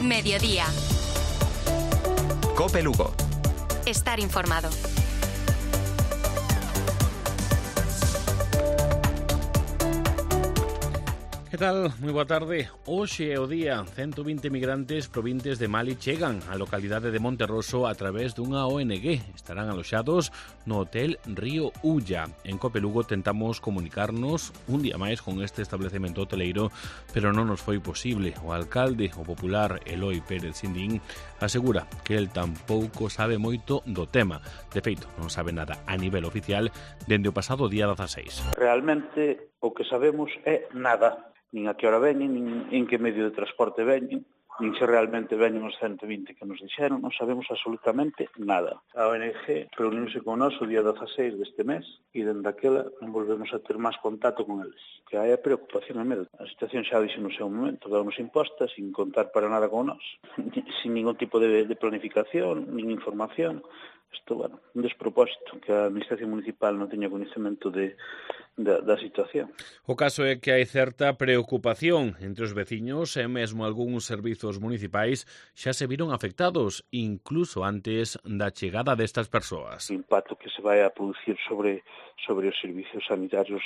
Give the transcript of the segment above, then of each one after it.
Mediodía. COPE Lugo. Estar informado. Que tal? Moi boa tarde. Hoxe é o día. 120 migrantes provintes de Mali chegan á localidade de Monterroso a través dunha ONG. Estarán aloxados no Hotel Río Ulla. En COPE Lugo tentamos comunicarnos un día máis con este establecemento hoteleiro, pero non nos foi posible. O alcalde, o popular Eloi Pérez Sindín, asegura que el tampouco sabe moito do tema. De feito, non sabe nada a nivel oficial dende o pasado día 16. Realmente o que sabemos é nada. Nin a que hora veñen, nin en que medio de transporte veñen, nin se realmente veñen os 120 que nos dixeron, non sabemos absolutamente nada. A ONG reuniuse con nós o día 16 deste mes e dende aquela non volvemos a ter máis contacto con eles. Que hai a preocupación e medo. A situación xa dixo no seu momento, damos imposta sin contar para nada con nós, sin ningún tipo de planificación, nin información. Isto, bueno, un despropósito que a Administración Municipal non teña coñecemento da situación. O caso é que hai certa preocupación entre os veciños e mesmo algúns servizos municipais xa se viron afectados, incluso antes da chegada destas persoas. O impacto que se vai a producir sobre os servicios sanitarios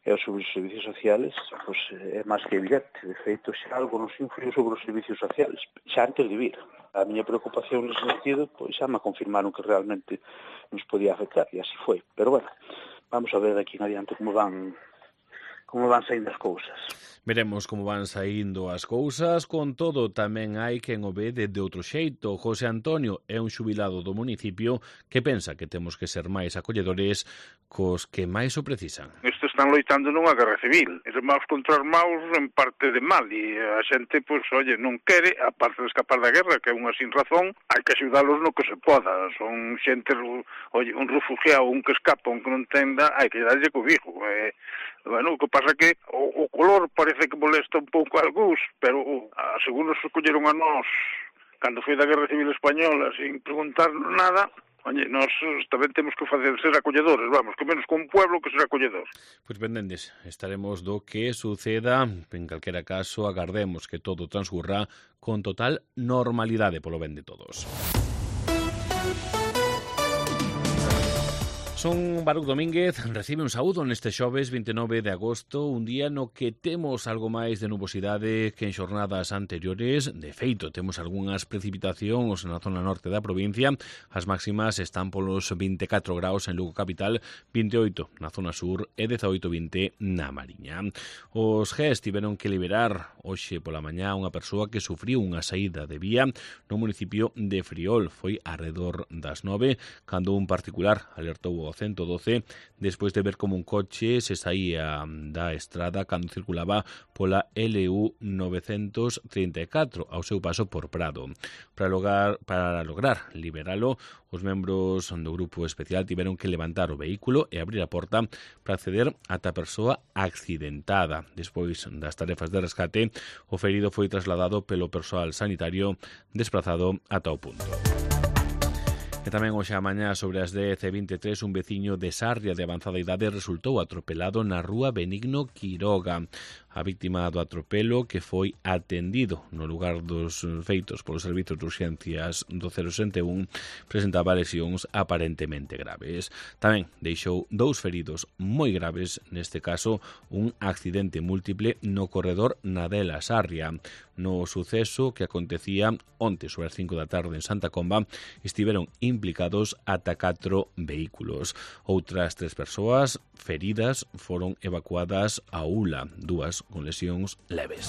e sobre os servicios sociales pues, é máis que evidente. De feito, xa algo nos influiu sobre os servicios sociales, xa antes de vir. A miña preocupación nesse sentido, pois xa me confirmaron que realmente nos podía afectar, e así foi. Pero bueno, vamos a ver de aquí en adiante como van saindo as cousas. Veremos como van saindo as cousas. Con todo, tamén hai quen o ve de outro xeito. José Antonio é un xubilado do municipio que pensa que temos que ser máis acolledores cos que máis o precisan. Estes están loitando nunha guerra civil. Eres maus contra os maus en parte de mal. E a xente, pois, non quere, a parte de escapar da guerra, que é unha sin razón, hai que axudalos no que se poda. Son xente, un refugiado, un que escapa, un que non tenda, hai que darlle cobijo. Bueno, o que pasa que o color parece que molesta un pouco a algúns, pero según nos escolleron a nós cando foi da Guerra Civil Española sin preguntarnos nada. Oye, nós tamén temos que facer ser acolledores, vamos, que menos con un pueblo que ser acolledor. Pois pendendes, estaremos do que suceda. En calquera caso, agardemos que todo transcurra con total normalidade polo ben de todos. Son Baruch Domínguez, recibe un saúdo neste xoves 29 de agosto, un día no que temos algo máis de nubosidade que en xornadas anteriores. De feito, temos algunhas precipitacións na zona norte da provincia. As máximas están polos 24 graus en Lugo capital, 28 na zona sur e 18-20 na Mariña. Os GES tiveron que liberar hoxe pola mañá unha persoa que sufriu unha saída de vía no municipio de Friol. Foi arredor das 9, cando un particular alertou o 112 despois de ver como un coche se saía da estrada cando circulaba pola LU 934 ao seu paso por Prado. Para lograr liberalo, os membros do grupo especial tiveron que levantar o vehículo e abrir a porta para acceder ata a persoa accidentada. Despois das tarefas de rescate, o ferido foi trasladado pelo persoal sanitario desplazado ata o punto. E tamén hoxe a mañá sobre as 10:23 un veciño de Sarria de avanzada idade resultou atropelado na rúa Benigno Quiroga. A víctima do atropelo, que foi atendido no lugar dos feitos polos servizos de urxencias do 061, presentaba lesións aparentemente graves. Tamén deixou 2 feridos moi graves, neste caso un accidente múltiple no corredor Nadela Sarria. No suceso que acontecía onte sobre as 5 da tarde en Santa Comba, estiveron implicados ata 4 vehículos. Outras 3 persoas feridas foron evacuadas a Ula, 2 con lesións leves.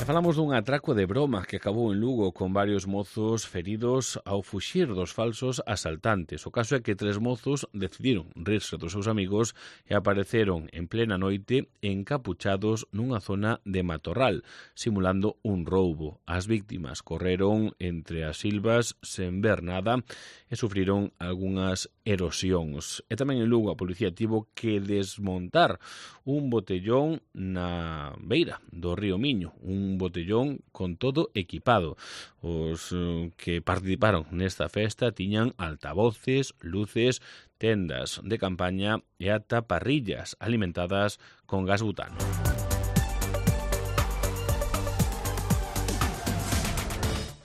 Falamos dun atraco de broma que acabou en Lugo con varios mozos feridos ao fuxir dos falsos asaltantes. O caso é que 3 mozos decidiron rirse dos seus amigos e apareceron en plena noite encapuchados nunha zona de matorral, simulando un roubo. As víctimas correron entre as silvas sen ver nada e sufriron algunhas erosións. E tamén en Lugo a policía tivo que desmontar un botellón na beira do río Miño, un botellón con todo equipado. Os que participaron nesta festa tiñan altavoces, luces, tendas de campaña e ata parrillas alimentadas con gas butano.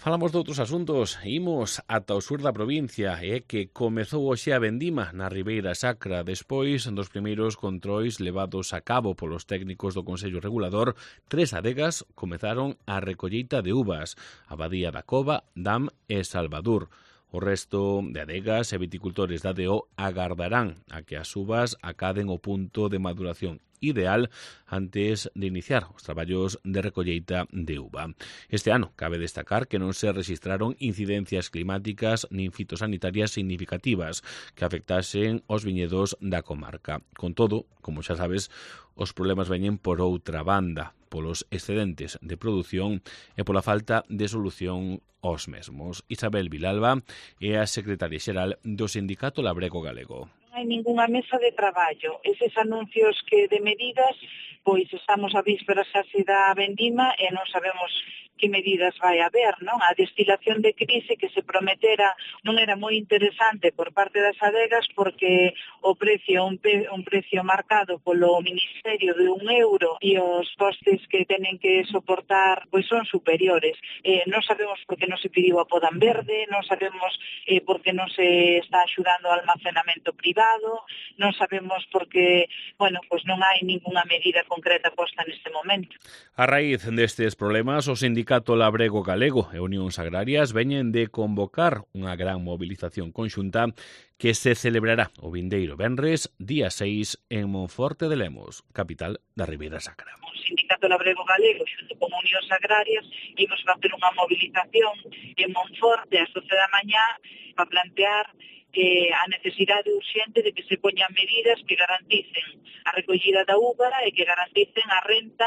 Falamos de outros asuntos, imos ata o sur da provincia, que comezou hoxe a vendima na Ribeira Sacra despois dos primeiros controis levados a cabo polos técnicos do Consello Regulador. 3 adegas comezaron a recolleita de uvas, Abadía da Cova, Dam e Salvador. O resto de adegas e viticultores da DO agardarán a que as uvas acaden o punto de maduración ideal antes de iniciar os traballos de recolleita de uva. Este ano cabe destacar que non se registraron incidencias climáticas nin fitosanitarias significativas que afectasen os viñedos da comarca. Con todo, como xa sabes, os problemas veñen por outra banda, polos excedentes de produción e pola falta de solución aos mesmos. Isabel Vilalba é a secretaria xeral do Sindicato Labrego Galego. Non hai ningunha mesa de traballo. Eses anuncios que de medidas, pois estamos a vísperas case da vendima e non sabemos que medidas vai haber, non? A destilación de crise que se prometera non era moi interesante por parte das adegas porque o precio un precio marcado polo Ministerio de €1 e os costes que tenen que soportar pois son superiores. Non sabemos por que non se pediu a poda en verde, non sabemos por que non se está axudando ao almacenamento privado, non sabemos por que, pois non hai ningunha medida concreta posta neste momento. A raíz destes problemas, o Sindicato Labrego Galego e Unións Agrarias veñen de convocar unha gran movilización conxunta que se celebrará o vindeiro venres, día 6, en Monforte de Lemos, capital da Ribeira Sacra. O Sindicato Labrego Galego, xunto con Unións Agrarias, imos facer unha movilización en Monforte ás 12 da mañá para plantear a necesidade urxente de que se poñan medidas que garanticen a recollida da uva e que garanticen a renta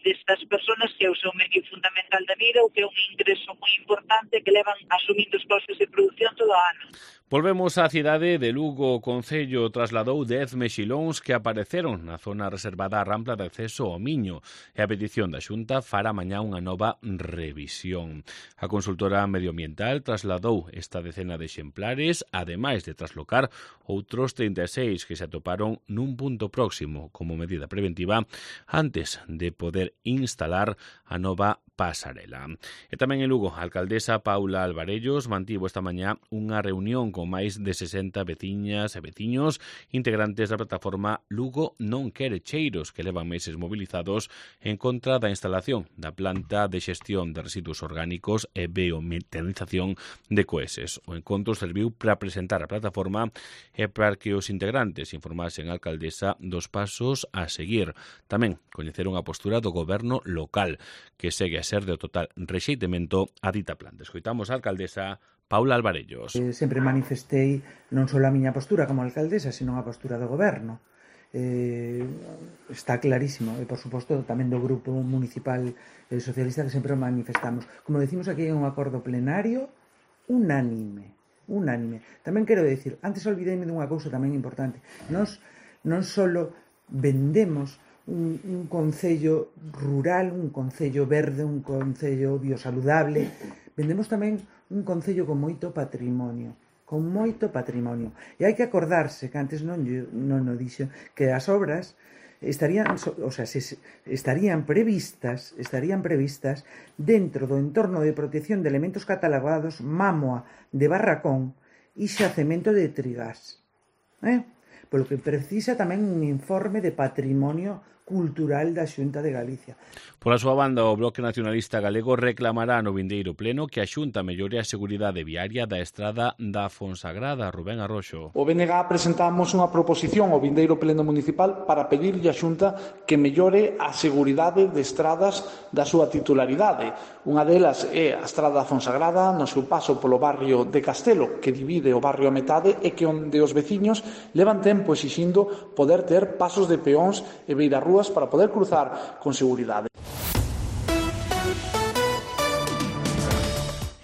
destas persoas que é o seu medio fundamental da vida ou que é un ingreso moi importante que levan asumindo os costes de produción todo o ano. Volvemos á cidade de Lugo. O Concello trasladou 10 mexilóns que apareceron na zona reservada á rampla de acceso ao Miño e a petición da Xunta fará mañá unha nova revisión. A consultora medioambiental trasladou esta decena de exemplares, ademais de traslocar outros 36 que se atoparon nun punto próximo como medida preventiva antes de poder instalar a nova pasarela. E tamén en Lugo, a alcaldesa Paula Alvarellos mantivo esta mañá unha reunión con máis de 60 veciñas e veciños integrantes da plataforma Lugo non quere cheiros, que levan meses movilizados en contra da instalación da planta de xestión de residuos orgánicos e biometanización de coeses. O encontro serviu para presentar a plataforma e para que os integrantes informasen a alcaldesa dos pasos a seguir. Tamén coñeceron a postura do goberno local, que segue a ser de total rexeitemento a dita planta. Escoitamos a alcaldesa Paula Alvarellos. Sempre manifestei non só a miña postura como alcaldesa, sino a postura do goberno. Está clarísimo, e por suposto tamén do grupo municipal socialista que sempre manifestamos. Como decimos aquí, é un acordo plenario unánime. Tamén quero dicir, antes olvideime dunha cousa tamén importante. Nos non só vendemos un concello rural, un concello verde, un concello biosaludable, vendemos tamén un concello con moito patrimonio. E hai que acordarse, que antes non o dixo, que as obras estarían previstas dentro do entorno de protección de elementos catalogados Mámoa de Barracón e xacemento de Trigás. Polo que precisa tamén un informe de patrimonio cultural da Xunta de Galicia. Pola súa banda, o Bloque Nacionalista Galego reclamará no vindeiro pleno que a Xunta mellore a seguridade viaria da estrada da Fonsagrada. Rubén Arroxo. O BNG presentamos unha proposición ao vindeiro pleno municipal para pedirlle á Xunta que mellore a seguridade de estradas da súa titularidade. Unha delas é a estrada da Fonsagrada no seu paso polo barrio de Castelo, que divide o barrio a metade e que onde os veciños levan tempo exixindo poder ter pasos de peóns e beirarrúas para poder cruzar con seguridade.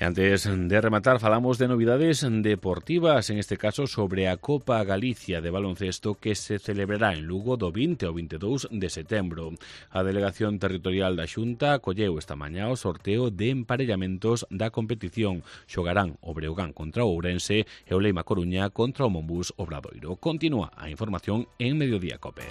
E antes de rematar, falamos de novidades deportivas, en este caso sobre a Copa Galicia de baloncesto que se celebrará en Lugo do 20 ao 22 de setembro. A Delegación Territorial da Xunta acolleu esta mañá o sorteo de emparellamentos da competición. Xogarán o Breogán contra o Ourense e o Leima Coruña contra o Monbús Obradoiro. Continúa a información en Mediodía Cope.